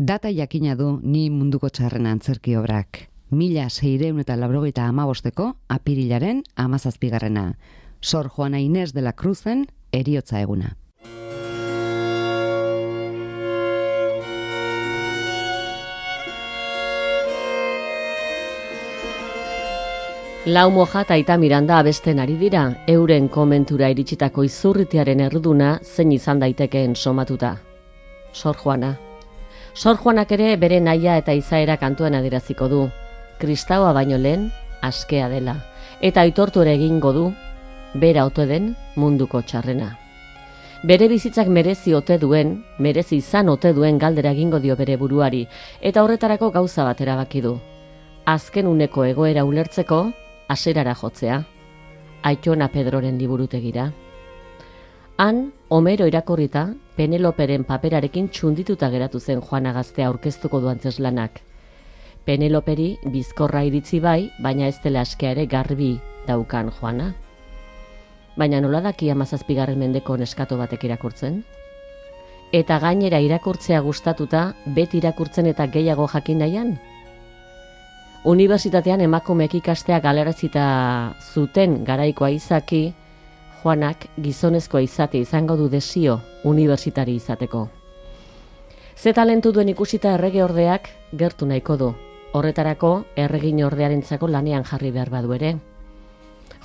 Data jakina du Ni munduko txarrena antzerki obrak. 1685 apirilaren 17. Sor Juana Inés de la Cruzen heriotza eguna. Lau Moja eta Aita Miranda abesten ari dira, euren komentura iritsitako izurritiaren erruduna zein izan daitekeen somatuta. Sor Juana. Sor Juanak ere bere naia eta izaera kantuan adieraziko du. Kristaua baino lehen, askea dela. Eta aitortu ere egingo du, bera ote den munduko txarrena. Bere bizitzak merezi izan ote duen galdera egingo dio bere buruari, eta horretarako gauza bat erabaki du. Azken uneko egoera ulertzeko, haserara jotzea, Aitona Pedroren liburutegira. Han, Homero irakurrita, Peneloperen paperarekin txundituta geratu zen Juana gaztea aurkeztuko du antzeslanak. Peneloperi bizkorra iritzi bai, baina ez dela askea ere garbi daukan Juana. Baina nola daki 17. mendeko neskato batek irakurtzen? Eta gainera irakurtzea gustatuta, beti irakurtzen eta gehiago jakin nahian? Unibertsitatean emakumeek ikastea galarazita zuten garaikoa izaki, Juanak gizonezkoa izate izango du desio unibertsitari izateko. Ze talentu duen ikusita errege ordeak gertu nahiko du. Horretarako erregin ordearentzako lanean jarri behar badu ere.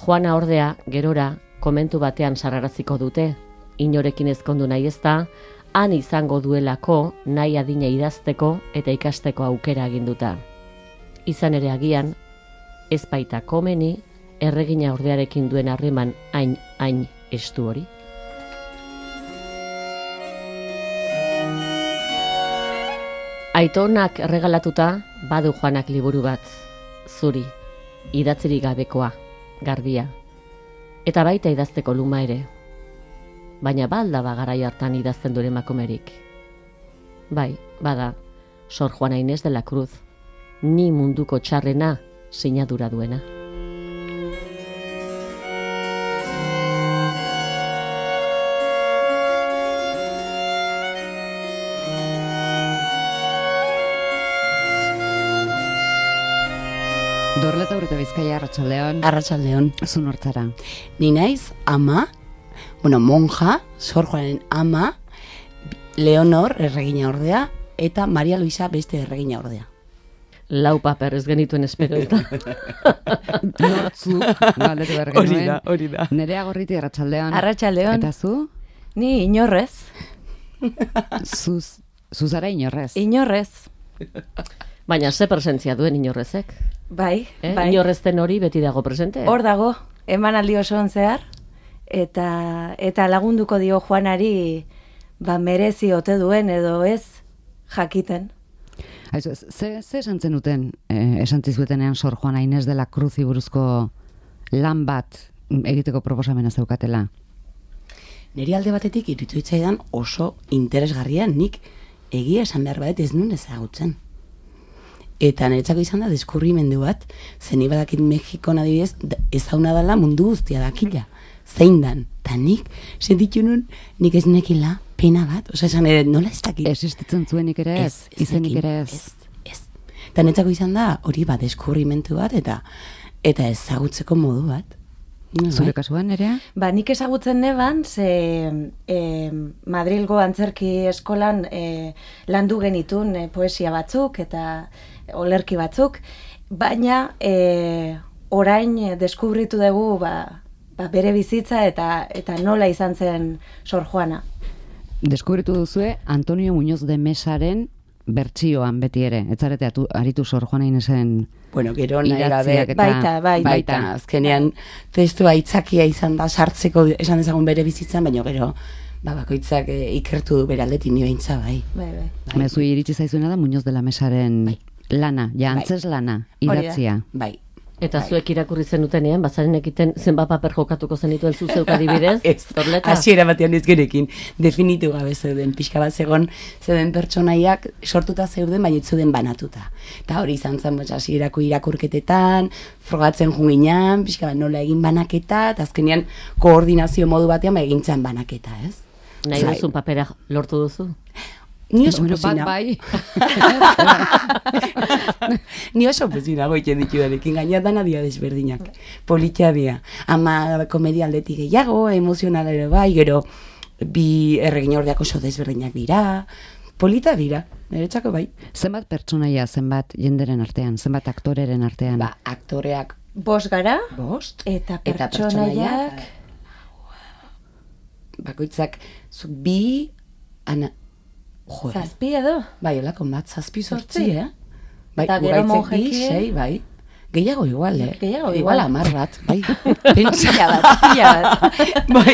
Juana ordea gerora komentu batean sarraraziko dute, inorekin ezkondu nahi ezta, han izango duelako nahi adina idazteko eta ikasteko aukera aginduta. Izan ere agian, ez baita komeni, erregina ordearekin duen harreman hain estu hori. Aitonak erregalatuta badu Juanak liburu bat, zuri, idatzirik gabekoa, garbia, eta baita idazteko luma ere. Baina balda garai hartan idazten duen emakumerik. Bai, bada, Sor Juana Inés de la Cruz, Ni munduko txarrena sinadura duena. Dorleta Urte Bizkaia, Arratsaldeon. Arratsaldeon. Zu nortzara? Ni naiz ama, monja, Sor Juanen ama, Leonor erregina ordea, eta Maria Luisa beste erregina ordea. Lau paper ez genituen espero ez da. Nortzu, galdetu behar genuen. Hori da. Nerea Gorriti, Arratsaldeon. Arratsaldeon. Eta zu? Ni inorrez. Zuzara inorrez. Inorrez. Baina ze presentzia duen inorrezek? Bai, bai. Inorrezten hori beti dago presente. Hor dago, emanaldi osoan zehar, eta lagunduko dio Juanari merezi ote duen edo ez jakiten. Aizu, ze esan zenuten, esan zizuetenean Sor Juana Inés de la Cruzi buruzko lan bat egiteko proposamena zeukatela? Neri alde batetik iruditu zitzaidan oso interesgarria, nik egia esan behar bat ez nuen ezagutzen. Eta niretzako izan da deskurrimendu bat, zeni badakit Mexikon adibidez ezauna dela mundu guztia dakila. Zein dan, eta nik sentitu nun nik ez nekila pena bat, esan ere nola ez dakit. Existitzen zuenik ere ez, izenik ere ez. Ez. Eta niretzako izan da hori bat deskurrimendu bat eta ezagutzeko modu bat. Zure kasuan, Nerea? Nik ezagutzen neban, ze Madrilgo antzerki eskolan landu genitun poesia batzuk eta olerki batzuk, baina orain deskubritu dugu bere bizitza eta nola izan zen Sor Juana. Deskubritu duzue Antonio Muñoz de Mesaren bertsioan beti ere, ez zarete aritu Sor Juana Inesen gero nahi gabe, baita, azkenean testua aitzakia izan da sartzeko esan dezagun bere bizitzan, baina gero bakoitzak ikertu du bere aldetik ni beintza, bai. Mezu iritsi zaizuena da Muñoz de la Mesaren lana, antzes lana, idatzia. Bai. Eta zuek irakurri zenutenean, bazaren ekiten zenbat paper jokatuko zenituen zuzeuk adibidez? Ez, hasiera batean ez gerekin, definitu gabe zeuden, pixka bat zeuden pertsonaiak sortuta zeuden, baina ez zeuden banatuta. Eta hori izan zen, hasierako irakurketetan, frogatzen junginan, pixka bat nola egin banaketa, eta azkenean koordinazio modu batean egintzen banaketa, ez? Nahi duzun papera lortu duzu? Ni oso Bueno, pozina. bai. Ni oso pozina goiten ditudarekin, gaina dana dia desberdinak. Politia dia. Ama komedia aldetik gehiago, emozional ere bai, gero bi erregin ordeak oso desberdinak dira. Polita dira, niretzako bai. Zenbat pertsonaia, zenbat jenderen artean, zenbat aktoreren artean. Ba, aktoreak 5 gara, bost, eta pertsonaiak bakoitzak zuk bi, ana, jo, 7 edo? bai, olako bat, 7-8, Zortzi. Bai, Eta gero ugaitzek bi, monjekin. 6, bai. Gehiago igual, Gehiago igual igual. 10 bat, bai. Pila bat. Bai,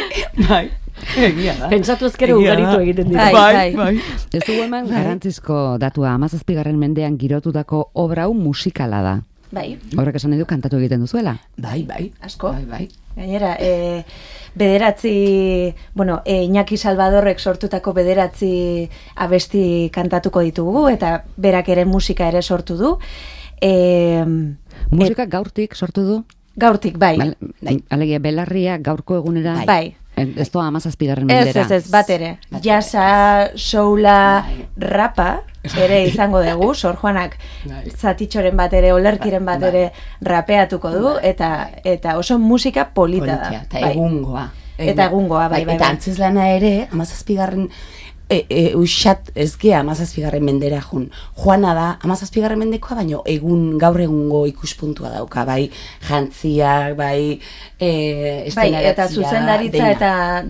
egia da. Pentsatu ezkero Egia da. ugaritu egiten dira. Bai. Ez dugu eman garantzizko datua, 17. mendean girotutako obra hau musikala da. Bai, Horrek esan nahi du kantatu egiten duzuela. Bai, bai. Asko. Bai. gainera, bederatzi, Iñaki Salvadorrek sortutako bederatzi abesti kantatuko ditugu, eta berak ere musika ere sortu du. Musika gaurtik sortu du? Gaurtik, bai. Alegia, belarria gaurko egunera... Bai. Ez doa 17. mendera. Ez, bat ere. Jasa, soula, rapa, ere izango dugu, Sor Juanak zatitxoren bat ere, olerkiren bat ere rapeatuko du, eta oso musika polita da. Eta egungoa. Eta egungoa, bai. Eta antzeslana ere, 17. Usat ez gea 17. mendera jun. Juana da 17. mendekoa, baino gaur egungo ikuspuntua dauka, bai jantziak, bai estenaratzia. Eta zuzendaritza eta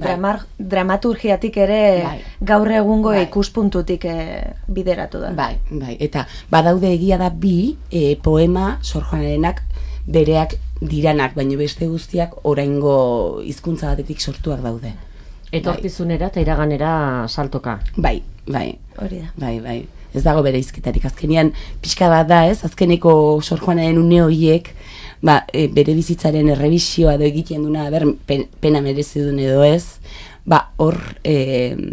dramaturgiatik ere gaur egungo ikuspuntutik bideratu da. Bai. Eta badaude egia da bi poema Sor Juanarenak bereak diranak, baino beste guztiak oraingo hizkuntza batetik sortuak daude. Etorkizunera eta iraganera saltoka. Bai. Hori da. Bai. Ez dago bere izketarik. Azkenean, pixka bat da, ez? Azkeneko Sor Juanaren une horiek, bere bizitzaren errebisioa edo egiten duna, pena merezi duen edo ez, hor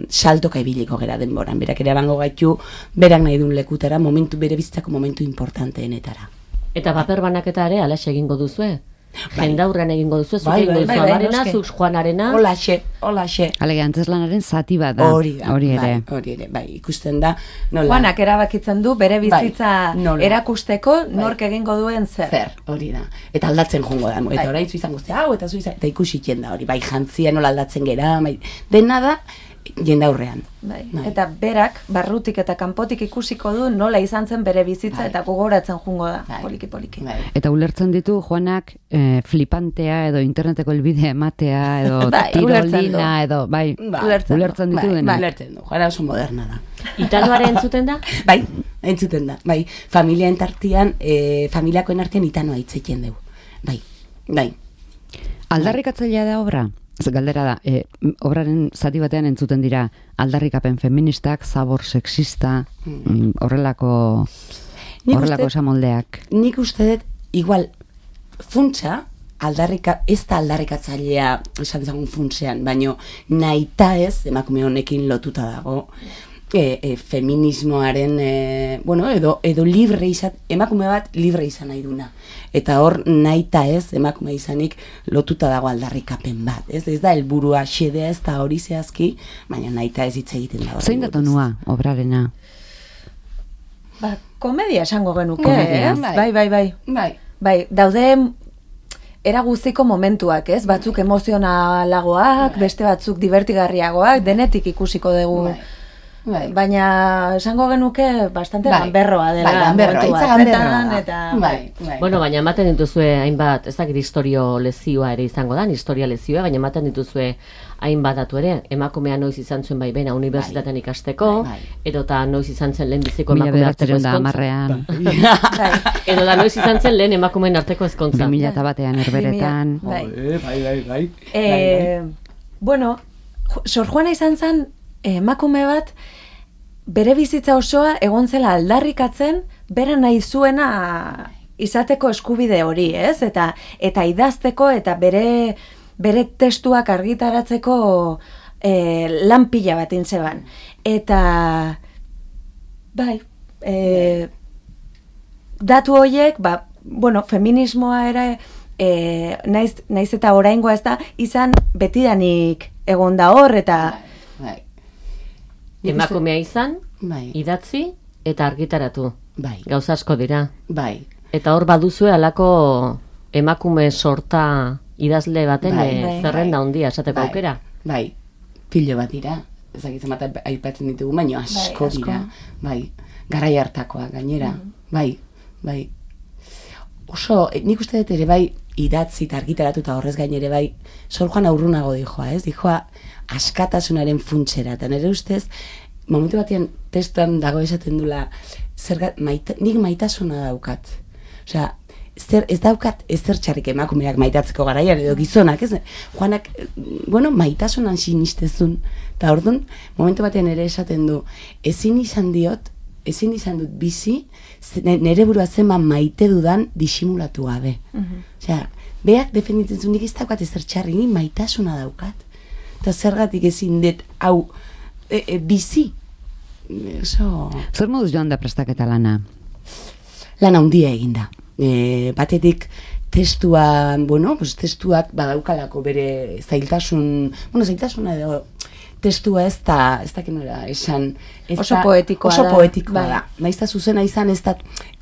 saltoka ibiliko gera denboran. Berak ere abango gaitu, berak nahi duen lekutara, bere bizitzako momentu importanteenetara. Eta paper banaketa ere, alaxe egingo duzue? Jendaurrean egingo duzu, zuk egingo duzu amarena, zuk Juanarena. Holaxe. Alegia, antzeslanaren zati bat da. Hori ere. Bai, ikusten da. Juanak erabakitzen du bere bizitza erakusteko nork egingo duen zer. Hori da. Eta aldatzen jongo da. Eta orain zu izango ze hau, eta zu izan, eta ikusi da hori. Bai, jantzia nola aldatzen gera, dena da, jendaurrean. Eta berak, barrutik eta kanpotik ikusiko du nola izan zen bere bizitza eta gogoratzen jungo da, poliki. Eta ulertzen ditu Juanak flipantea edo interneteko helbidea ematea edo tirolina edo, ulertzen ditu dena. Ulertzen du, Juana oso moderna da. Itanoaren entzuten da? Bai, entzuten da. Bai, familiakoen artean itanoa hitzekien dugu. Bai. Aldarrikatzailea da obra? Galdera da, obraren zati batean entzuten dira aldarrikapen feministak, zabor sexista, horrelako esamoldeak. Nik uste dut, igual, funtsa, ez da aldarrikatzailea esan dezagun funtsean, baino nahita ez, emakume honekin lotuta dago, feminismoaren, edo libre izan, emakume bat libre izan nahi duna. Eta hor nahita ez, emakume izanik lotuta dago aldarrikapen bat. Ez da helburua xedea, ez da hori zehazki, baina nahita ez hitz egiten da. Zein da tonua, obrarena? Komedia esango genuke, ez? Bai, daude era guztiko momentuak, ez? Batzuk emozionalagoak, beste batzuk divertigarriagoak, denetik ikusiko dugu. Baina esango genuke bastante ganberroa dela. Bueno, baina ematen dituzue hainbat, ez dakit historio lezioa ere izango da, historia lezioa, baina ematen dituzue hainbat datu ere, emakumea noiz izan zuen baimena unibertsitatean ikasteko, edota noiz izan zen lehen biziko emakume arteko ezkontza. Edota noiz izan zen lehen emakumeen arteko ezkontza. 2001 herberetan. Bueno, Sor Juana izan zen emakume bat bere bizitza osoa egon zela aldarrikatzen bera nahi zuena izateko eskubide hori, ez? Eta idazteko eta bere testuak argitaratzeko lan pila bat intzeban. Eta datu horiek, feminismoa ere naiz eta oraingoa ez da izan betidanik egon da hor eta emakumea izan, Bai. Idatzi eta argitaratu. Bai. Gauza asko dira. Bai. Eta hor baduzue halako emakume sorta idazle baten zerrenda handia esateko aukera. Bai. Pilo bat dira. Ezagitzen bat aipatzen ditugu, baina asko dira. Bai. Garai hartakoa gainera. Bai. Oso, nik uste dut ere bai idatzi eta argitaratu eta horrez gain ere bai Sor Juana urrunago dijoa, ez? Dijoa askatasunaren funtsera. Eta nire ustez, momentu batean testuan dago esaten dula, nik maitasuna daukat. Osea, ez daukat ezer txarrik emakumeak maitatzeko garaian edo gizonak, ez? Juanak, maitasunan sinistezun. Eta orduan, momentu batean ere esaten du, ezin izan dut bizi, nire burua zenban maite dudan disimulatu gabe. Osea, beak defenditzen zuen, nik ez daukat ezer txarrik, nik maitasuna daukat. Eta zergatik ezin dut, hau, bizi. Zer moduz joan da prestaketa lana? Lana handia eginda. Batetik testuan, testuak badaukalako bere zailtasuna edo testua ez da esan... Oso poetikoa da. Oso poetikoa da. Naizta zuzena izan ez da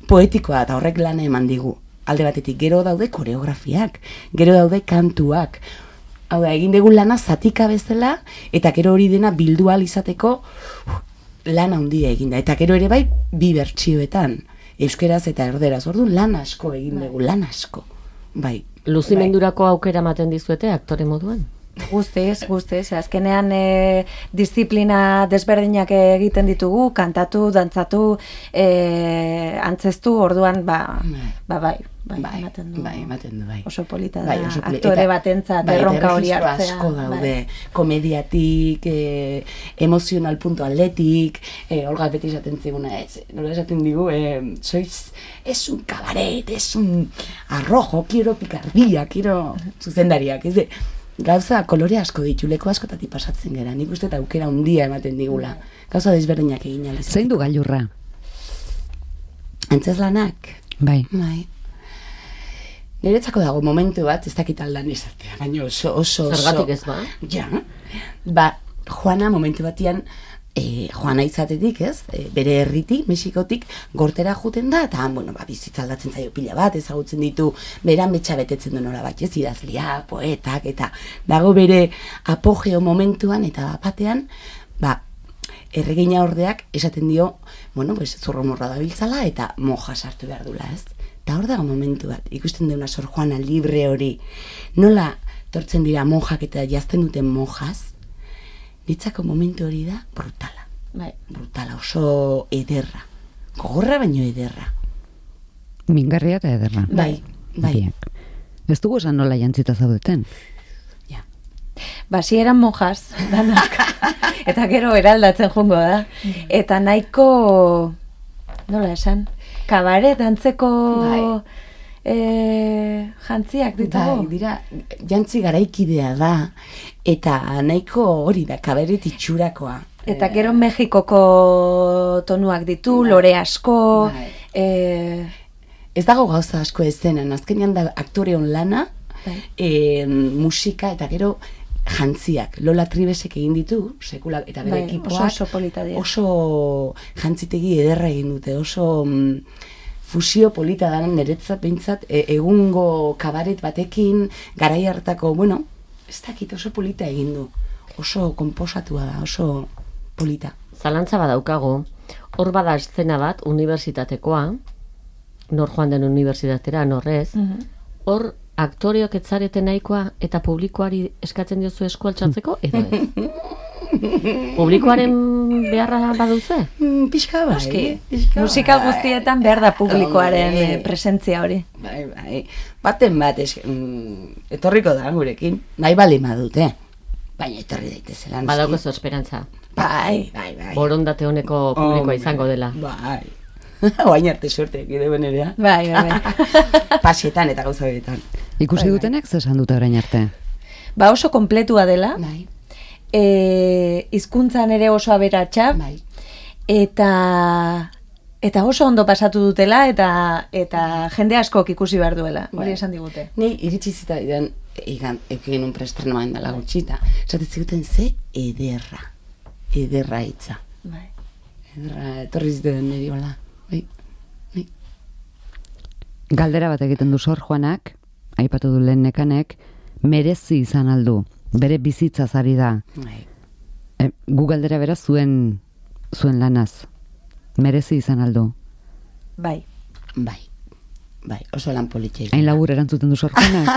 poetikoa eta horrek lana eman digu. Alde batetik, gero daude koreografiak, gero daude kantuak. Hau da, egin dugu lana zatika bezala, eta gero hori dena bildu ahal izateko lana handia eginda. Eta gero ere bai, bi bertsioetan, euskeraz eta erderaz. Orduan lan asko egin dugu, lan asko. Bai. Luzimendurako aukera ematen dizuete aktore moduan? Guztiz. Azkenean disiplina desberdinak egiten ditugu, kantatu, dantzatu, antzeztu, orduan, bai, ematen du. Bai. Oso polita da, aktore batentzat erronka hori hartzea. Asko daude, komediatik, emozional punto atletik, Olga beti esaten ziguna, nola esaten digu, es un cabaret, es un arrojo, quiero picardía, quiero zuzendariak, ez de... Gauza kolore asko ditu, leko askotatik pasatzen gara, nik uste eta aukera handia ematen digula. Gauza desberdinak egin alizateko. Zein du gailurra? Antzeslanak? Bai. Niretzako dago momentu bat, ez dakit aldan izatea, baina oso... Zergatik ez ba? Ja, Juana momentu batian, Juana izatetik, ez? Bere herritik, Mexikotik, gortera juten da, eta, bizitza aldatzen zaio pila bat, ezagutzen ditu, beran betxa betetzen du nola bat, ez? Idazlia, poetak, eta dago bere apogeo momentuan, eta batean, erregina ordeak esaten dio, zurromorra da biltzala, eta moja sartu behar dula, ez? Eta hor dago momentu bat, ikusten deuna Sor Juana libre hori, nola tortzen dira mojak eta jazten duten mojaz, nitzako momentu hori da brutala. Brutala, oso ederra. Gogorra baino ederra. Mingarria eta ederra. Bai. Ez dugu esan nola jantzita zaudeten? Ja. Si eran mojas, danak. Eta gero eraldatzen jongo da. Eta nahiko, nola esan, kabaret antzeko jantziak ditugu. Bai, dira, jantzi garaikidea da, eta nahiko hori da, kabaret itxurakoa. Eta gero Mexikoko tonuak ditu, lore asko. Ez dago gauza asko ezenan, azkenean da aktoreon lana, musika eta gero jantziak. Lola Tribesek egin ditu, sekula, eta bere ekipoak oso jantzitegi ederra egin dute, oso... fusio polita da niretzat behintzat egungo kabaret batekin garai hartako, ez dakit oso polita egin du. Oso konposatua da, oso polita. Zalantza badaukago, hor bada eszena bat, unibertsitatekoa, nor joan den unibertsitatera, norrez, hor aktoreok etzarete nahikoa eta publikoari eskatzen diozu esku altxatzeko, edo ez? Publikoaren beharra baduzu? Pixka bai. Musika guztietan behar da publikoaren presentzia hori. Bai. Baten bat etorriko da gurekin. Nahi bali madute. Baina etorri daitezela. Badaukozu esperantza. Bai. Borondate honeko publikoa izango dela. Bai. Oain arte suerte egide benerea. Bai. Pasietan eta gauza beretan. Ikusi dutenek zesan dute orain arte? Oso kompletua dela. Bai. Hizkuntzan ere oso aberatsa, eta oso ondo pasatu dutela, eta jende askok ikusi behar duela, hori esan digute. Nei iritsi zitaidan egin un preestrenoan dela gutxita, esaten ziguten ze ederra hitza. etorri ziten niri hola. Bai. Galdera bat egiten du Sor Juanak, aipatu du lehen Nekanek, merezi izan aldu, bere bizitzaz ari da. Bai. Gu galdera bera zuen lanaz. Merezi izan aldu. Bai. Bai, oso lan politxe. Hain labur erantzuten du Sor Juanak.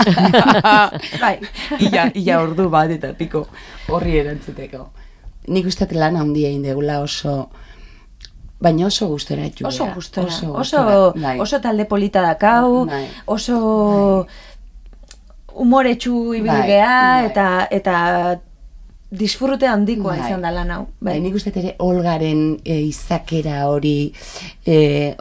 Bai. Ia ordu bat eta piko horri erantzuteko. Nik uste lan handia egin degula oso, baina oso gustora etxu. Oso gustora. Oso talde polita dakau, Bai. oso umoretsu ibilgea eta disfrute handikoa izan da lan hau. Bai, nik uste ere Olgaren izakera hori,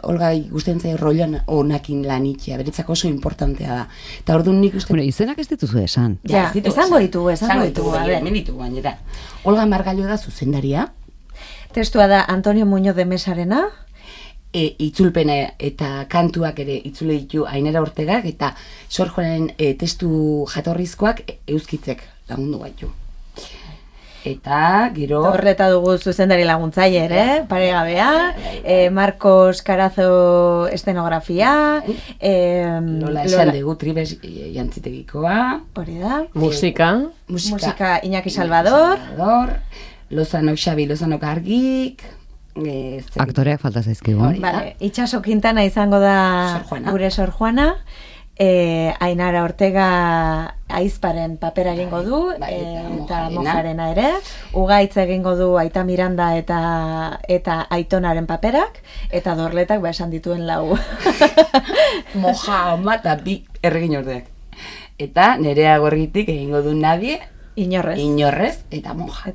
Olga ikusten zaio rolloan onakin lanitzea, beretzako oso importantea da. Eta orduan nik uste... Bueno, izenak ez dituzu esan. Ja, esango ditugu. Hemen ditugu gainera. Olga Margallo da zuzendaria. Testua da Antonio Muñoz de Mesarena. Itzulpena eta kantuak ere itzule ditu Ainara Ortegak, eta Sor Juanaren testu jatorrizkoak euskitzek lagundu gaitu. Eta gero... Horreta dugu zuzendari laguntzaile ere, paregabea, Marcos Carazo estenografia, Lola esan dugu Tribes jantzitegikoa, hori da, musika Iñaki Salvador, Lozano Xabi, Lozano Gargik, aktoreak falta zaizkigu. Vale, Itxaso Quintana izango da gure Sor Juana, Ainara Ortega Aizparen papera egingo du, eta Mojarena ere, Ugaitz egingo du Aita Miranda eta Aitonaren paperak, eta Dorletak esan dituen lau. Moja, ama eta bi erregin ordeak. Eta Nerea Gorritik egingo du Nadie, Inorrez, eta Moja.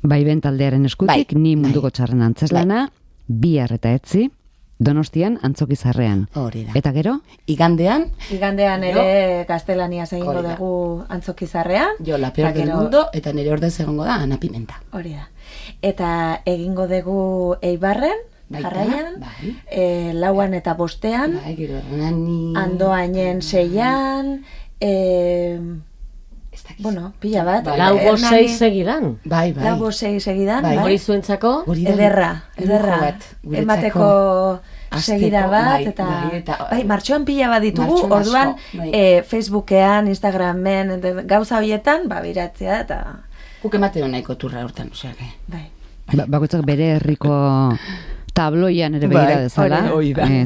Baiben taldearen eskutik, ni munduko txarren antzeslana, bihar eta etzi, Donostian Antzokizarrean. Hori da. Eta gero? Igandean ere gaztelaniaz egingo dugu Antzokizarrean. Jo, La Peor del Mundo, eta nire ordez egongo da Ana Pimenta. Hori da. Eta egingo dugu Eibarren, jarraian, lauan eta bostean, Andoainen 6an, bueno, pila bat. Lau bost 6 segidan. Bai. Lau bost 6 segidan. Hori zuentzako? Ederra. Emateko segida bat, eta martxoan pila bat ditugu, orduan Facebookean, Instagramen, gauza horietan, biratzea, eta... Guk ematen nahiko turra hortan, oseak. Bai. Bakoitzak bere herriko tabloian ere begira dezala,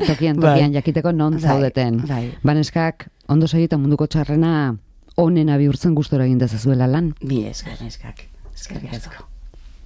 tokian jakiteko non zaudeten. Baneskak, ondo segita munduko txarrena onena bihurtzen gustora egin dezazuela lan. Bi eskak. Eskerrik asko.